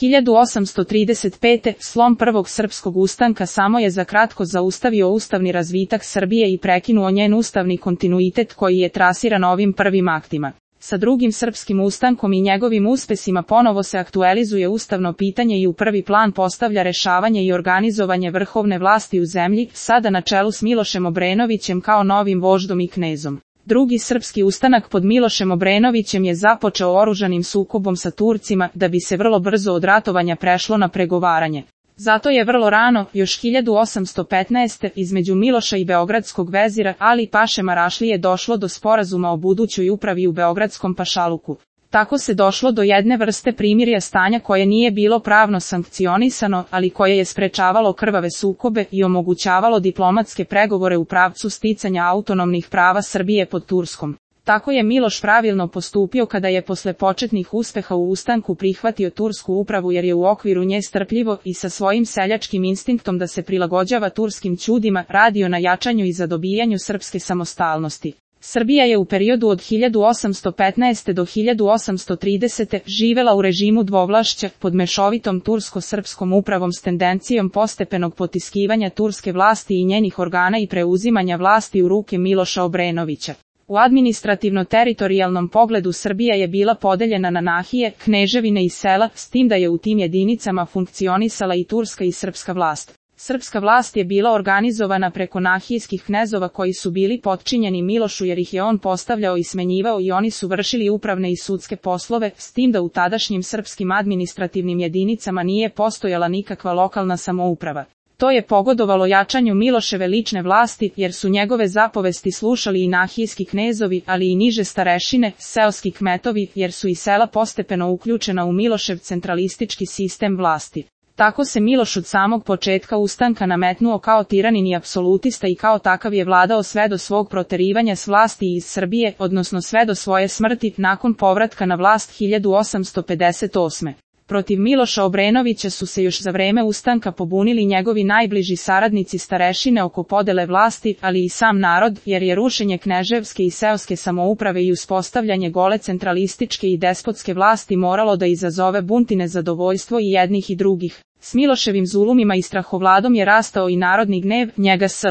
1835. slom prvog srpskog ustanka samo je za kratko zaustavio ustavni razvitak Srbije i prekinuo njen ustavni kontinuitet koji je trasiran ovim prvim aktima. Sa drugim srpskim ustankom i njegovim uspesima ponovo se aktualizuje ustavno pitanje i u prvi plan postavlja rešavanje i organizovanje vrhovne vlasti u zemlji, sada na čelu s Milošem Obrenovićem kao novim voždom i knezom. Drugi srpski ustanak pod Milošem Obrenovićem je započeo oružanim sukobom sa Turcima da bi se vrlo brzo od ratovanja prešlo na pregovaranje. Zato je vrlo rano, još 1815. između Miloša i beogradskog vezira Ali Paše Marašlije došlo do sporazuma o budućoj upravi u beogradskom pašaluku. Tako se došlo do jedne vrste primirja stanja koje nije bilo pravno sankcionisano, ali koje je sprečavalo krvave sukobe i omogućavalo diplomatske pregovore u pravcu sticanja autonomnih prava Srbije pod Turskom. Tako je Miloš pravilno postupio kada je posle početnih uspeha u ustanku prihvatio tursku upravu jer je u okviru nje strpljivo i sa svojim seljačkim instinktom da se prilagođava turskim ćudima radio na jačanju i zadobijanju srpske samostalnosti. Srbija je u periodu od 1815. do 1830. živela u režimu dvovlašća pod mešovitom tursko-srpskom upravom s tendencijom postepenog potiskivanja turske vlasti i njenih organa i preuzimanja vlasti u ruke Miloša Obrenovića. U administrativno-teritorijalnom pogledu Srbija je bila podeljena na nahije, kneževine i sela, s tim da je u tim jedinicama funkcionisala i turska i srpska vlast. Srpska vlast je bila organizovana preko nahijskih knezova koji su bili potčinjeni Milošu jer ih je on postavljao i smenjivao i oni su vršili upravne i sudske poslove, s tim da u tadašnjim srpskim administrativnim jedinicama nije postojala nikakva lokalna samouprava. To je pogodovalo jačanju Miloševe lične vlasti jer su njegove zapovesti slušali i nahijski knezovi, ali i niže starešine, seoski kmetovi jer su i sela postepeno uključena u Milošev centralistički sistem vlasti. Tako se Miloš od samog početka ustanka nametnuo kao tiranin i apsolutista i kao takav je vladao sve do svog proterivanja s vlasti iz Srbije, odnosno sve do svoje smrti nakon povratka na vlast 1858. Protiv Miloša Obrenovića su se još za vreme ustanka pobunili njegovi najbliži saradnici starešine oko podele vlasti, ali i sam narod, jer je rušenje kneževske i seoske samouprave i uspostavljanje gole centralističke i despotske vlasti moralo da izazove bunt i nezadovoljstvo i jednih i drugih. S Miloševim zulumima i strahovladom je rastao i narodni gnev, njega s